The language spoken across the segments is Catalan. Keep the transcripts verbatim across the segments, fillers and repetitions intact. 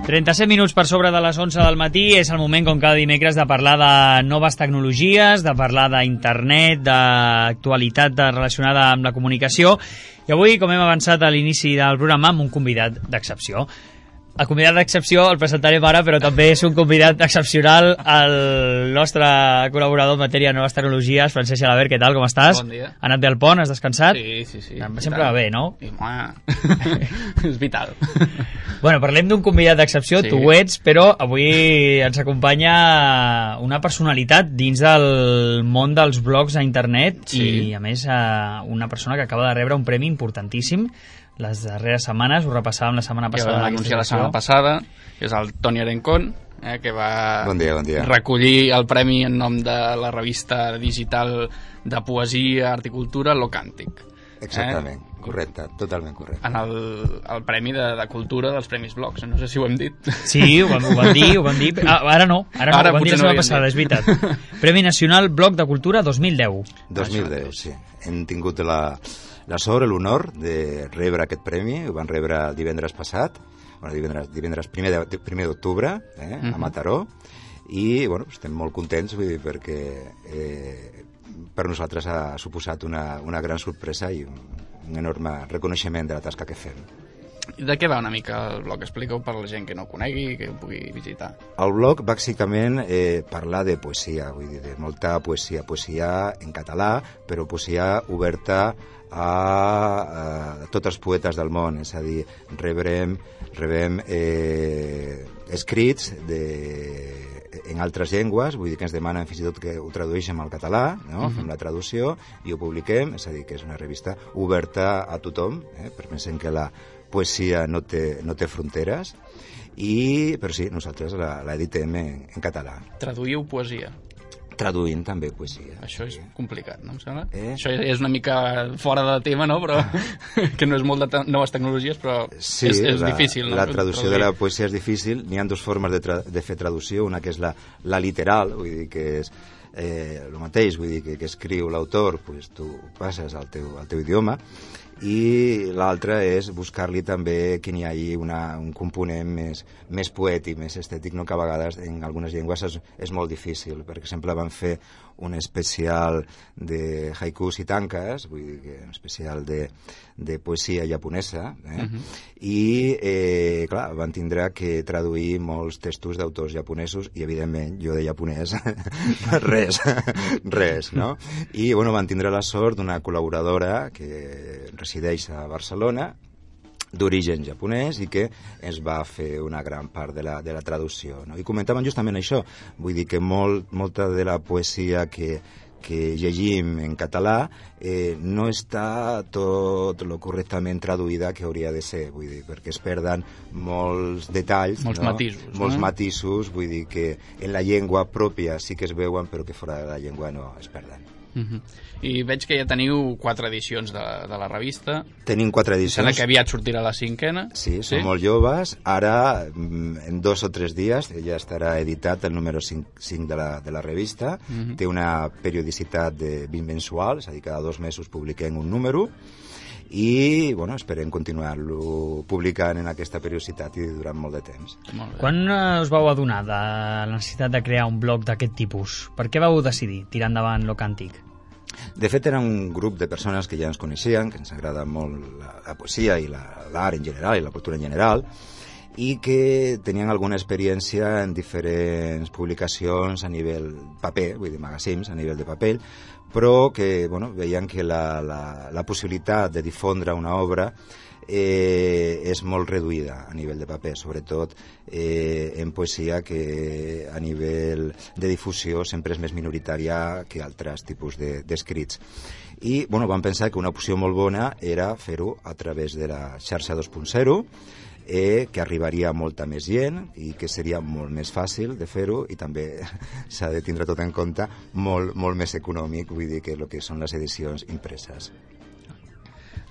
trenta-set minuts per sobre de les onze del matí, és el moment, com cada dimecres, de parlar de noves tecnologies, de parlar d'internet, d'actualitat relacionada amb la comunicació, i avui, com hem avançat a l'inici del programa, amb un convidat d'excepció. El convidat d'excepció el presentarem ara, però també és un convidat excepcional, el nostre col·laborador en matèria de noves tecnologies, Francesc Gelabert. Què tal, com estàs? Bon dia. Ha anat bé al pont, has descansat? Sí, sí, sí. Sempre va bé, no? I, és vital. Bueno, parlem d'un convidat d'excepció, sí. Tu ho ets, però avui ens acompanya una personalitat dins del món dels blogs a internet, sí. I a més una persona que acaba de rebre un premi importantíssim les darreres setmanes, ho repassàvem la setmana passada. Ja vam anunciar la setmana passada, que és el Toni Arencón, eh, que va bon dia, bon dia. recollir el premi en nom de la revista digital de poesia, art i cultura, Locàntic. Exactament, eh? Correcte, totalment correcte. En el, el premi de, de cultura dels Premis Blogs, no sé si ho hem dit. Sí, ho vam, ho vam dir, ho vam dir. Ah, ara no, ara no, ara ho vam dir la setmana no passada, és veritat. Premi Nacional Blog de Cultura dos mil deu. dos mil deu, sí. Hem tingut la... la sort, l'honor de rebre aquest premi. Ho van rebre el divendres passat, bueno, divendres, divendres primer d'octubre, eh, uh-huh. a Mataró, i bueno, estem molt contents, vull dir, perquè eh, per nosaltres ha suposat una, una gran sorpresa i un, un enorme reconeixement de la tasca que fem. I de què va una mica el blog? Explica-ho per la gent que no ho conegui, que ho pugui visitar. El blog, bàsicament, eh, parla de poesia, vull dir, de molta poesia, poesia en català, però poesia oberta a, a tots els poetes del món, és a dir, rebrem, rebem eh, escrits de, en altres llengües, vull dir que ens demanen fins i tot que ho tradueixem al català, no? Uh-huh. Fem la traducció i ho publiquem, és a dir, que és una revista oberta a tothom, eh? perquè pensem que la poesia no té, no té fronteres, i, però sí, nosaltres l'editem en, en català. Traduïu poesia? Traduint també poesia. Això és complicat, no em sembla? Eh? Això és una mica fora de tema, no? Però que no és molt de te noves tecnologies, però sí, és, és la, difícil, no? La traducció traduir. de la poesia és difícil. N'hi ha dues formes de, de fer traducció. Una que és la, la literal, vull dir que és eh, el mateix, vull dir que, que escriu l'autor, pues, tu passes al teu, al teu idioma, i l'altra és buscar-li també que n'hi hagi una, un component més, més poètic, més estètic, no? Que a vegades en algunes llengües és, és molt difícil. Per exemple, van fer un especial de haikus i tanques, vull dir que un especial de, de poesia japonesa, eh? Uh-huh. I eh, clar, van tindre que traduir molts textos d'autors japonesos i evidentment jo de japonès res, res, no? I bueno, van tindre la sort d'una col·laboradora que resideix a Barcelona, d'origen japonès, i que ens va fer una gran part de la, de la traducció, no? I comentaven justament això, vull dir que molt, molta de la poesia que, que llegim en català eh, no està tot lo correctament traduïda que hauria de ser, vull dir, perquè es perden molts detalls, molts no? matisos, molts no? matisos, vull dir que en la llengua pròpia sí que es veuen, però que fora de la llengua no es perden. Uh-huh. I veig que ja teniu quatre edicions de, de la revista. Tenim quatre edicions. Sembla que aviat sortirà la cinquena. Sí, som sí? molt joves. Ara, en dos o tres dies, ja estarà editat el número cinc, cinc de, la, de la revista. Uh-huh. Té una periodicitat de bimensual, és a dir, cada dos mesos publiquem un número, i bueno, esperem continuar-lo publicant en aquesta periodicitat i durant molt de temps. Molt Quan us vau adonar de la necessitat de crear un blog d'aquest tipus? Per què vau decidir tirar endavant Locàntic? De fet, era un grup de persones que ja ens coneixien, que ens agrada molt la, la poesia i l'art en general i la cultura en general, i que tenien alguna experiència en diferents publicacions a nivell paper, vull dir, magazines a nivell de paper, però que bueno, veien que la, la, la possibilitat de difondre una obra eh, és molt reduïda a nivell de paper, sobretot eh, en poesia, que a nivell de difusió sempre és més minoritària que altres tipus d'escrits. I bueno, vam pensar que una opció molt bona era fer-ho a través de la xarxa dos punt zero, eh, que arribaria a molta més gent i que seria molt més fàcil de fer-ho, i també s'ha de tindre tot en compte molt, molt més econòmic, vull dir que el que són les edicions impreses.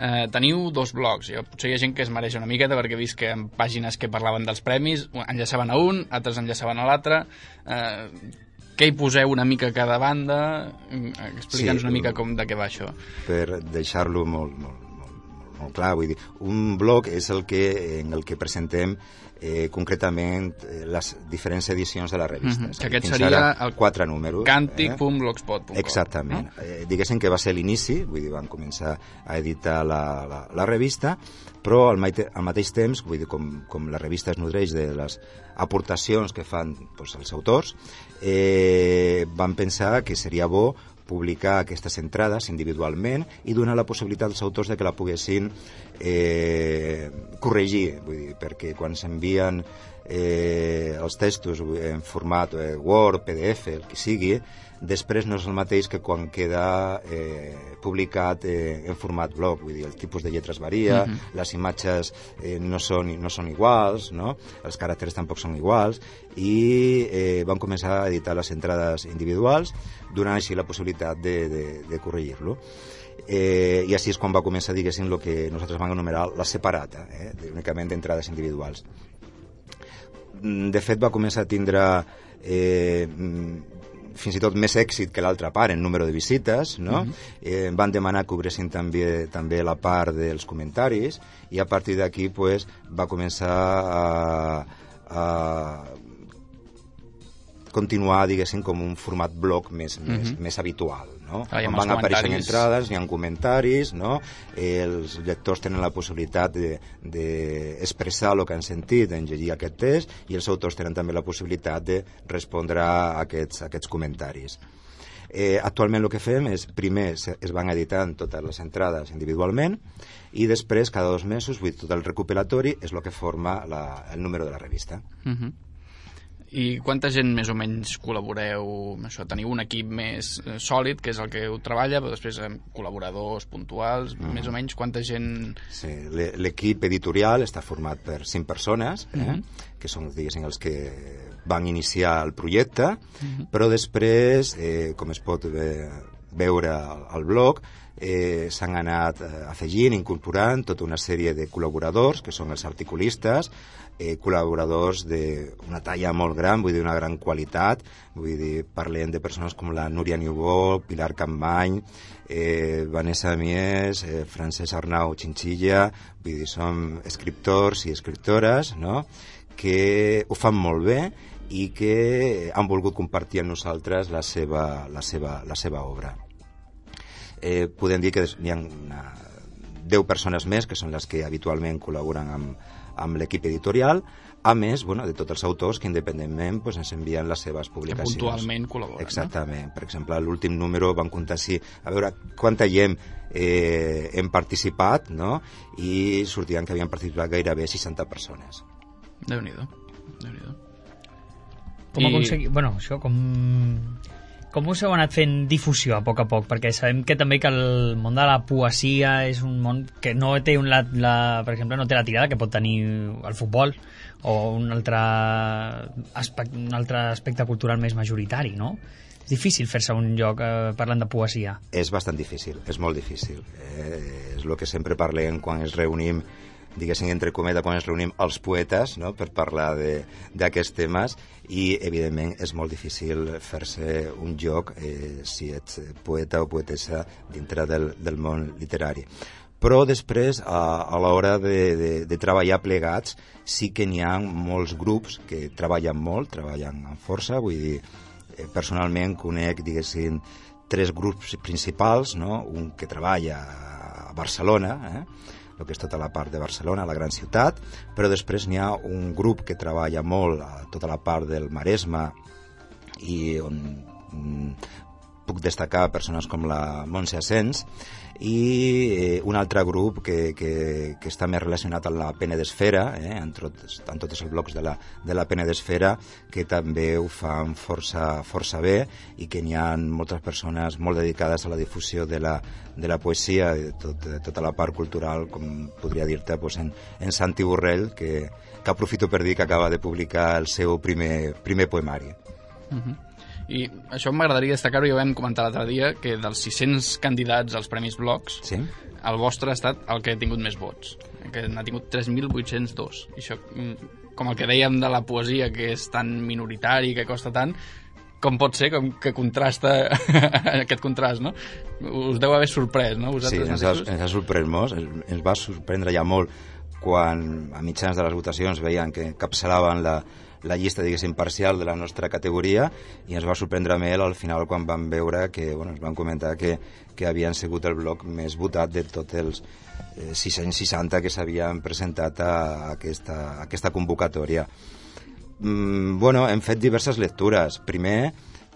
Eh, teniu dos blogs, jo, potser hi ha gent que es mereix una miqueta perquè he vist que en pàgines que parlaven dels premis enllaçaven a un, altres enllaçaven a l'altre. Eh, què hi poseu una mica a cada banda? Explica'ns sí, una mica com de què va això. Per deixar-lo molt, molt, molt, molt clar, vull dir, un blog és el que, en el que presentem eh, concretament eh, les diferents edicions de la revista. Mm-hmm. Que aquest seria el quatre números. càntic punt blogspot punt com. Exactament. No? Eh, diguéssim que va ser l'inici, vull dir, van començar a editar la, la, la revista, però al, maite, al mateix temps, vull dir, com, com la revista es nodreix de les aportacions que fan doncs, els autors, eh, van pensar que seria bo publicar aquestes entrades individualment i donar la possibilitat als autors de que la poguessin eh, corregir, vull dir, perquè quan s'envien eh, els textos en format eh, Word, P D F, el que sigui, després no és el mateix que quan queda eh, publicat eh, en format blog, vull dir, el tipus de lletres varia, uh-huh. les imatges eh, no, són, no són iguals, no? Els caràcters tampoc són iguals, i eh, van començar a editar les entrades individuals, donant així la possibilitat de, de, de corregir-lo. Eh, I així és quan va començar, diguéssim, el que nosaltres vam anomenar la separata, eh, únicament d'entrades individuals. De fet, va començar a tindre eh, fins i tot més èxit que l'altra part en número de visites, no? Uh-huh. eh, van demanar que obressin també, també la part dels comentaris, i a partir d'aquí pues, va començar a, a continuar, diguéssim, com un format blog més, uh-huh. més, més habitual, no? Ah, Quan van apareixent entrades, hi ha comentaris, no? Eh, els lectors tenen la possibilitat d'expressar de, de el que han sentit en llegir aquest text, i els autors tenen també la possibilitat de respondre a aquests, a aquests comentaris. Eh, actualment el que fem és, primer es van editant totes les entrades individualment, i després, cada dos mesos, vull dir, tot el recopilatori és el que forma la, el número de la revista. Uh-huh. I quanta gent més o menys col·laboreu amb això? Teniu un equip més eh, sòlid, que és el que ho treballa, però després amb col·laboradors puntuals, mm. més o menys quanta gent... Sí, l'equip editorial està format per cinc persones, eh, mm-hmm. que són, diguéssim, els que van iniciar el projecte, mm-hmm. però després, eh, com es pot eh, veure al, al blog, eh, s'han anat eh, afegint, incorporant tota una sèrie de col·laboradors, que són els articulistes, eh, col·laboradors d'una talla molt gran, vull dir, una gran qualitat, vull dir, parlem de persones com la Núria Niubó, Pilar Campany, eh, Vanessa Mies, eh, Francesc Arnau Chinchilla, vull dir, som escriptors i escriptores, no?, que ho fan molt bé i que han volgut compartir amb nosaltres la seva, la seva, la seva obra. Eh, podem dir que hi ha una, deu persones més, que són les que habitualment col·laboren amb, amb l'equip editorial, a més, bueno, de tots els autors que independentment pues, ens envien les seves publicacions. Que puntualment col·laboren. Exactament. No? Per exemple, a l'últim número vam comptar si, a veure quanta gent eh, hem participat, no? I sortien que havien participat gairebé seixanta persones. Déu-n'hi-do. Déu-n'hi-do. Com I... aconseguir... Bueno, això com... Com us heu anat fent difusió a poc a poc? Perquè sabem que també que el món de la poesia és un món que no té, un, la, la, per exemple, no té la tirada que pot tenir el futbol o un altre aspecte, un altre aspecte cultural més majoritari, no? És difícil fer-se un lloc eh, parlant de poesia. És bastant difícil, és molt difícil. Eh, és el que sempre parlem quan ens reunim, diguéssim, entre cometa, quan ens reunim els poetes, no?, per parlar d'aquests temes, i evidentment és molt difícil fer-se un joc eh, si ets poeta o poetessa dintre del, del món literari. Però després, a, a l'hora de, de, de treballar plegats, sí que n'hi ha molts grups que treballen molt, treballen amb força, vull dir, eh, personalment conec, diguéssim, tres grups principals, no?, un que treballa a Barcelona, eh?, el que és tota la part de Barcelona, la gran ciutat, però després n'hi ha un grup que treballa molt a tota la part del Maresme, i on mm, puc destacar persones com la Montse Asens, i eh, un altre grup que, que, que està més relacionat amb la Penedesfera, eh, en, tots, en tots els blocs de la, de la Penedesfera, que també ho fan força, força bé, i que n'hi ha moltes persones molt dedicades a la difusió de la, de la poesia i de, tot, de tota la part cultural, com podria dir-te pues, en, en Santi Borrell, que, que aprofito per dir que acaba de publicar el seu primer, primer poemari. Uh-huh. I això m'agradaria destacar-ho, ja ho vam comentar l'altre dia, que dels sis-cents candidats als Premis Blogs, sí? El vostre ha estat el que ha tingut més vots, que n'ha tingut tres mil vuit-cents dos. I això, com el que dèiem de la poesia, que és tan minoritari, que costa tant, com pot ser, com que contrasta aquest contrast, no? Us deu haver sorprès, no? Sí, ens ha, ens ha sorprès molt, ens va sorprendre ja molt quan a mitjans de les votacions veien que encapçalaven la, la llista, diguéssim, parcial de la nostra categoria, i ens va sorprendre molt al final quan vam veure que, bueno, ens van comentar que, que havien sigut el bloc més votat de tots els eh, sis-cents seixanta que s'havien presentat a aquesta, a aquesta convocatòria. Mm, bueno, hem fet diverses lectures. Primer,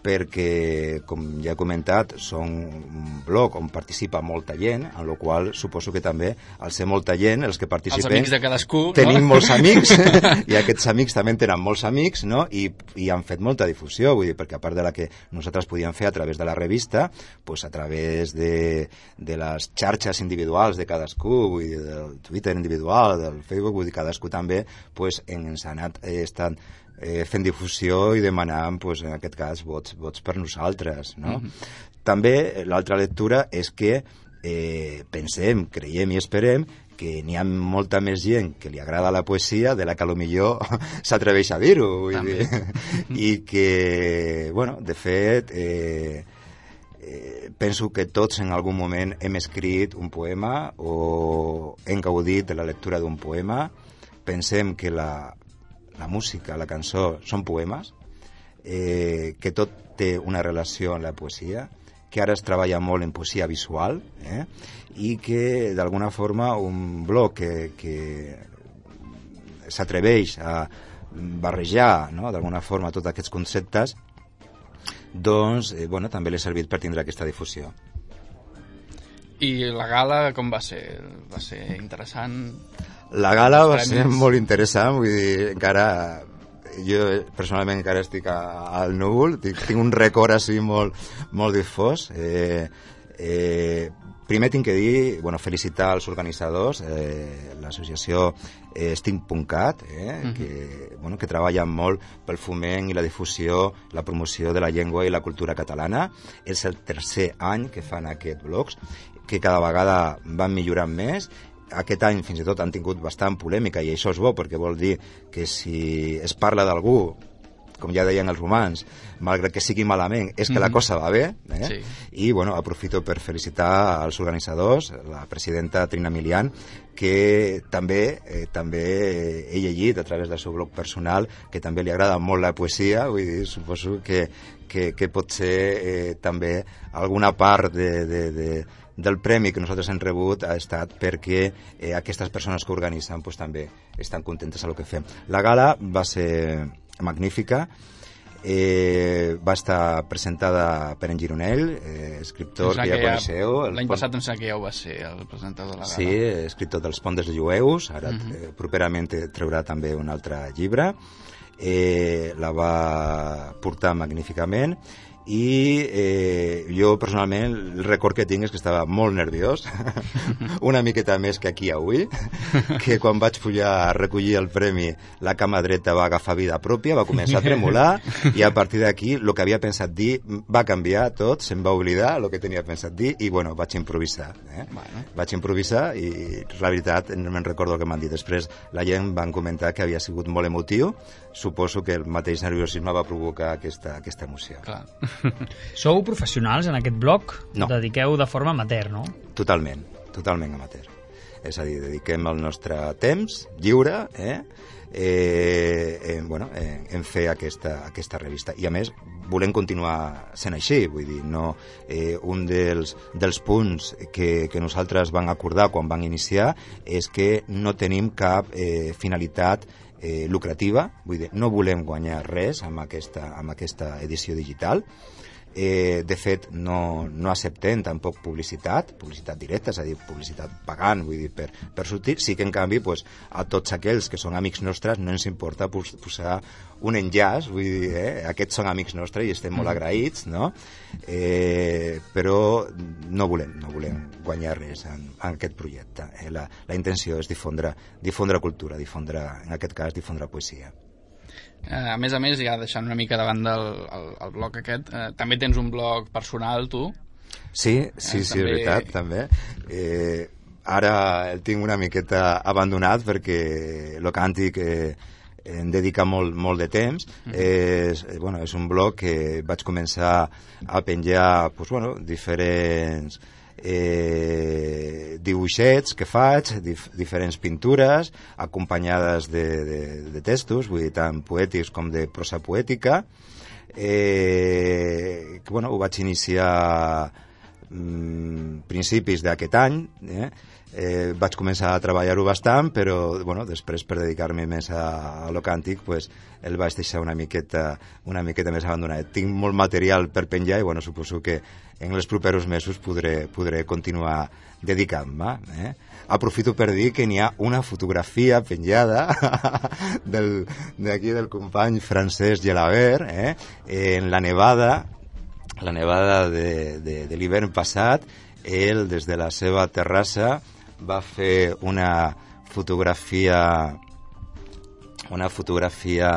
perquè, com ja he comentat, són un bloc on participa molta gent, en la qual suposo que també, al ser molta gent, els que participen... Els amics de cadascú, tenim no? molts amics, i aquests amics també tenen molts amics, no? I, i han fet molta difusió, vull dir, perquè a part de la que nosaltres podíem fer a través de la revista, pues a través de, de les xarxes individuals de cadascú, vull dir, del Twitter individual, del Facebook, vull dir, cadascú també pues, ens ha anat eh, estant Eh, fent difusió i demanant, pues, en aquest cas, vots, vots per nosaltres, no? Mm-hmm. També l'altra lectura és que eh, pensem, creiem i esperem que n'hi ha molta més gent que li agrada la poesia de la que potser s'atreveix a dir-ho, vull dir. I que, bueno, de fet, eh, eh, penso que tots en algun moment hem escrit un poema o hem gaudit de la lectura d'un poema. Pensem que la la música, la cançó, són poemes, eh, que tot té una relació amb la poesia, que ara es treballa molt en poesia visual, eh, i que, d'alguna forma, un bloc que, que s'atreveix a barrejar, no?, d'alguna forma, tots aquests conceptes, doncs, eh, bueno, també l'ha servit per tindre aquesta difusió. I la gala com va ser? Va ser interessant? La gala va ser molt interessant, vull dir, encara... Jo personalment encara estic a, al núvol, tinc, tinc un record així molt, molt difós. Eh, eh, primer tinc que dir, bueno, felicitar els organitzadors, eh, l'associació eh, Steampuncat, eh, uh-huh. que, bueno, que treballen molt pel foment i la difusió, la promoció de la llengua i la cultura catalana. És el tercer any que fan aquests blocs, que cada vegada van millorant més. Aquest any fins i tot han tingut bastant polèmica, i això és bo perquè vol dir que si es parla d'algú, com ja deien els romans, malgrat que sigui malament, és que mm-hmm. la cosa va bé, eh? Sí. I bueno, aprofito per felicitar als organitzadors, la presidenta Trina Milian, que també eh, també he llegit a través del seu blog personal que també li agrada molt la poesia, vull dir, suposo que, que, que pot ser eh, també alguna part de, de, de del premi que nosaltres hem rebut ha estat perquè eh, aquestes persones que organitzen pues, també estan contentes amb el que fem. La gala va ser magnífica, eh, va estar presentada per en Gironell, eh, escriptor que ja, ja coneixeu. L'any pont... passat em sembla que ja ho va ser el presentador de la gala. Sí, escriptor dels Ponts dels Jueus, ara uh-huh. eh, properament traurà també un altre llibre. Eh, la va portar magníficament. I eh, jo personalment el record que tinc és que estava molt nerviós, una miqueta més que aquí avui, que quan vaig pujar a recollir el premi la cama dreta va agafar vida pròpia, va començar a tremolar, i a partir d'aquí el que havia pensat dir va canviar tot, se'm va oblidar el que tenia pensat dir i bueno, vaig improvisar eh? bueno. vaig improvisar i la veritat no me'n recordo el que m'han dit. Després la gent van comentar que havia sigut molt emotiu, suposo que el mateix nerviosisme va provocar aquesta, aquesta emoció. Clar. Sou professionals en aquest blog? No. Dediqueu de forma amateur, no? Totalment, totalment amateur. És a dir, dediquem el nostre temps lliure eh, eh, eh, bueno, eh, en fer aquesta, aquesta revista. I a més, volem continuar sent així, vull dir, no, eh, un dels, dels punts que, que nosaltres vam acordar quan vam iniciar és que no tenim cap eh, finalitat Eh, lucrativa, vull dir, no volem guanyar res amb aquesta, amb aquesta edició digital. Eh, de fet, no, no acceptem tampoc publicitat, publicitat directa, és a dir, publicitat pagant, vull dir, per, per sortir. Sí que, en canvi, pues, a tots aquells que són amics nostres no ens importa pos, posar un enllaç, vull dir, eh, aquests són amics nostres i estem molt agraïts, no? Eh, però no volem, no volem guanyar res en, en aquest projecte. Eh? La, la intenció és difondre, difondre cultura, difondre, en aquest cas, difondre poesia. A més a més, ja deixant una mica davant del el, el blog aquest, eh, també tens un blog personal, tu? Sí, sí, eh, sí, també... és veritat, també. Eh, ara el tinc una miqueta abandonat perquè el càntic eh, em dedica molt, molt de temps. Mm. És, bueno, és un blog que vaig començar a penjar pues, bueno, diferents eh, dibuixets que faig, dif diferents pintures, acompanyades de, de, de textos, vull dir, tant poètics com de prosa poètica. Eh, que, bueno, ho vaig iniciar mm, principis d'aquest any, eh? Eh, vaig començar a treballar-ho bastant, però bueno, després per dedicar-me més a, a lo càntic pues, el vaig deixar una miqueta, una miqueta més abandonat. Tinc molt material per penjar i bueno, suposo que en els propers mesos podré, podré continuar dedicant-me. Eh? Aprofito per dir que n'hi ha una fotografia penjada del, d'aquí del company Francesc Gelabert, eh? En la nevada, la nevada de, de, de l'hivern passat. Ell, des de la seva terrassa, va fer una fotografia una fotografia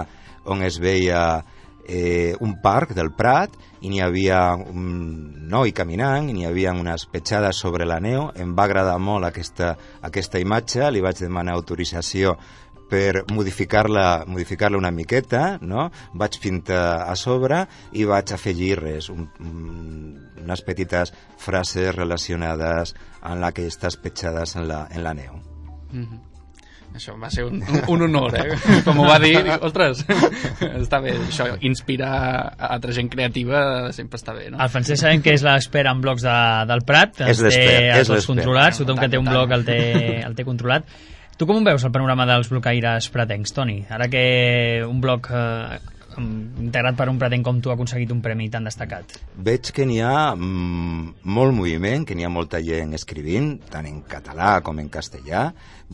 on es veia eh, un parc del Prat i n'hi havia un noi caminant i n'hi havia unes petjades sobre la neu. Em va agradar molt aquesta, aquesta imatge, li vaig demanar autorització per modificar-la modificar-la una miqueta, no? Vaig pintar a sobre i vaig afegir res, un, un, unes petites frases relacionades amb aquestes petjades en la, en la neu. Mm-hmm. Això va ser un, un, un honor, eh? Com ho va dir, dic, ostres, està bé, això, inspirar a altra gent creativa sempre està bé, no? El Francesc sabem que és l'expert en blogs de, del Prat, és l'expert, és l'expert. Controlats, tothom que té un blog el té, el té controlat. Tu com veus el panorama dels blocaires pratencs, Toni? Ara que un blog eh, integrat per un pratenc com tu ha aconseguit un premi tan destacat. Veig que n'hi ha mm, molt moviment, que n'hi ha molta gent escrivint, tant en català com en castellà.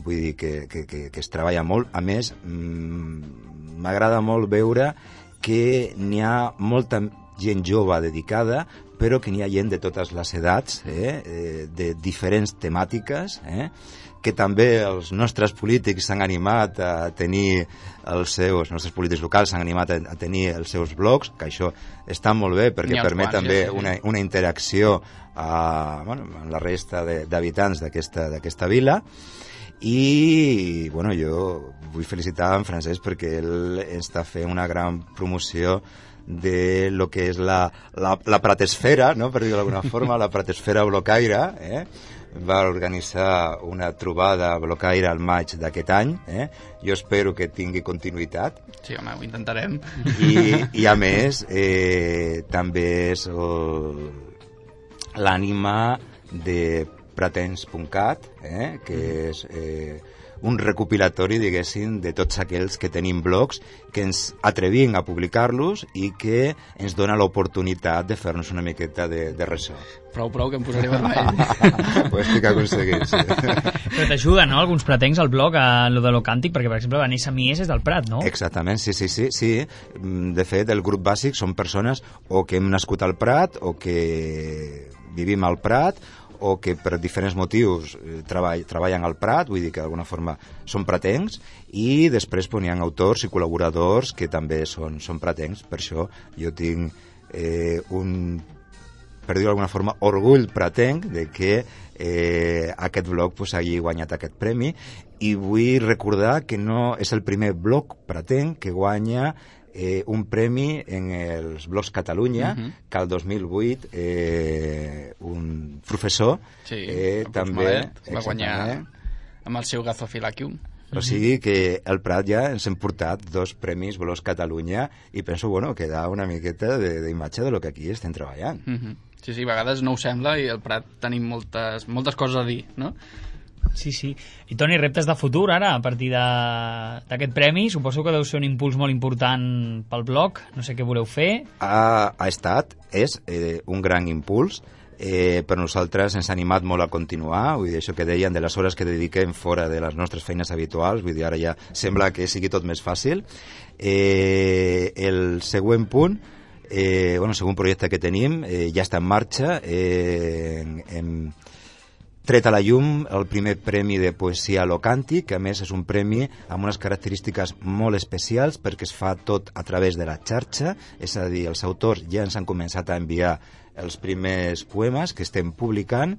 Vull dir que, que, que, que es treballa molt. A més, mm, m'agrada molt veure que n'hi ha molta gent jove dedicada, però que n'hi ha gent de totes les edats, eh, de diferents temàtiques, eh, que també els nostres polítics s'han animat a tenir els seus, els nostres polítics locals s'han animat a, a tenir els seus blogs, que això està molt bé perquè permet quants, també ja, sí, una, una interacció a, bueno, amb la resta d'habitants d'aquesta vila. I bueno, jo vull felicitar en Francesc perquè ell està fent una gran promoció de lo que és la, la, la pratesfera, no? Per dir-ho d'alguna forma, la pratesfera blocaire, eh? Va organitzar una trobada blocaire al maig d'aquest any, eh? Jo espero que tingui continuïtat. Sí, home, ho intentarem. I, i a més, eh, també és l'ànima de pratens punt cat, eh? Que és eh, un recopilatori, diguéssim, de tots aquells que tenim blogs, que ens atrevim a publicar-los i que ens dona l'oportunitat de fer-nos una miqueta de, de ressò. Prou, prou, que em posaré vermell. Ho estic aconseguint, sí. Però t'ajuda, no?, alguns pratencs al blog a lo de lo càntic, perquè, per exemple, Vanessa Mies és del Prat, no? Exactament, sí, sí, sí, sí. De fet, el grup bàsic són persones o que hem nascut al Prat o que vivim al Prat o que per diferents motius treball, treballen al Prat, vull dir que d'alguna forma són pratencs, i després pues, hi ha autors i col·laboradors que també són, són pratencs. Per això jo tinc eh, un, per dir-ho d'alguna forma, orgull pratenc de que eh, aquest blog pues, hagi guanyat aquest premi, i vull recordar que no és el primer blog pratenc que guanya Eh, un premi en els blogs Catalunya, uh-huh. que el dos mil vuit eh, un professor sí, eh, també va guanyar amb el seu Gazofilacium. O sigui que al Prat ja ens hem portat dos premis blogs Catalunya i penso, bueno, que da una miqueta d'imatge de lo que aquí estem treballant. Uh-huh. Sí, sí, a vegades no ho sembla i al Prat tenim moltes, moltes coses a dir, no? Sí, sí. I Toni, reptes de futur ara, a partir d'aquest premi, suposo que deu ser un impuls molt important pel blog, no sé què voleu fer. Ha, ha estat, és eh, un gran impuls, eh, per nosaltres ens ha animat molt a continuar, vull dir, això que deien de les hores que dediquem fora de les nostres feines habituals, vull dir, ara ja sembla que sigui tot més fàcil. Eh, el següent punt, eh, bueno, el segon projecte que tenim, eh, ja està en marxa, eh, en, en tret a la llum el primer premi de poesia a lo càntic, que a més és un premi amb unes característiques molt especials perquè es fa tot a través de la xarxa, és a dir, els autors ja ens han començat a enviar els primers poemes que estem publicant.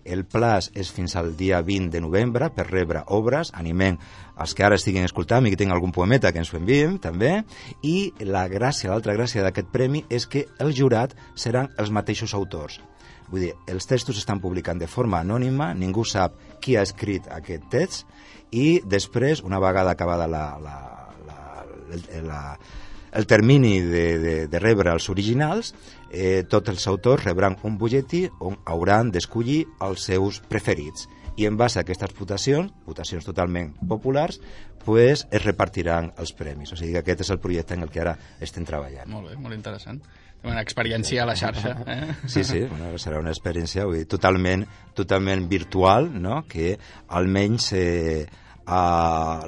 el plaç és fins al dia vint de novembre per rebre obres, animem els que ara estiguin escoltant i que tinguin algun poemeta que ens ho enviem també, i la gràcia, l'altra gràcia d'aquest premi és que el jurat seran els mateixos autors. Vull dir, els textos estan publicant de forma anònima, ningú sap qui ha escrit aquest text, i després, una vegada acabada la, la, la, la, la, el termini de, de, de rebre els originals, eh, tots els autors rebran un butlletí on hauran d'escollir els seus preferits. I en base a aquestes votacions, votacions totalment populars, pues, es repartiran els premis. O sigui que aquest és el projecte en el que ara estem treballant. Molt bé, molt interessant. Una experiència a la xarxa. Eh? Sí, sí, bueno, serà una experiència vull dir, totalment, totalment virtual, no? Que almenys eh, a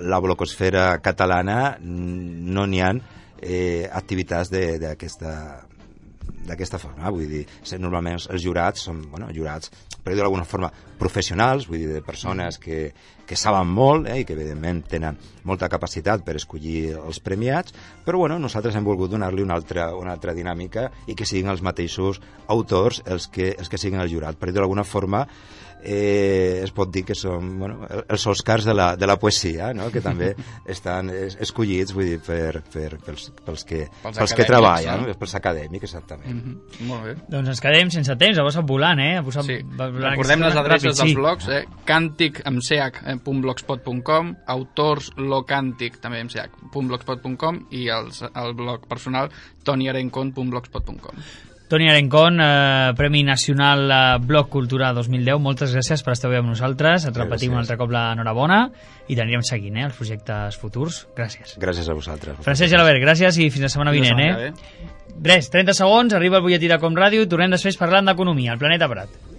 la blogosfera catalana no n'hi ha eh, activitats d'aquesta d'aquesta forma, vull dir, normalment els jurats són, bueno, jurats, per dir d'alguna forma, professionals, vull dir, de persones que, que saben molt, eh, i que evidentment tenen molta capacitat per escollir els premiats, però bueno, nosaltres hem volgut donar-li una altra, una altra dinàmica i que siguin els mateixos autors els que, els que siguin el jurat. Per dir d'alguna forma, eh, es pot dir que són, bueno, els Oscars de la, de la poesia, no? Que també estan escollits, vull dir, per, per, pels, pels, que, pels, pels que treballen, no? Pels acadèmics, exactament. Mm-hmm. Molt bé. Doncs ens quedem sense temps, ha passat volant, eh? Ha posat sí. volant. Recordem les adreces ràpid, dels sí. blogs, eh? càntic amb ch punt blogspot punt com, autors locàntic també amb ch punt blogspot punt com i els, el blog personal toniarencon punt blogspot punt com. Toni Arencon, eh, Premi Nacional eh, Blog Cultura dos mil deu, moltes gràcies per estar avui amb nosaltres, et repetim un altre cop l'enhorabona i t'anirem seguint eh, els projectes futurs. Gràcies. Gràcies a vosaltres. Francesc Gelabert, gràcies i fins la setmana vinent. Eh? Res, trenta segons, arriba el butlletí de Com Ràdio i tornem després parlant d'economia, al Planeta Prat.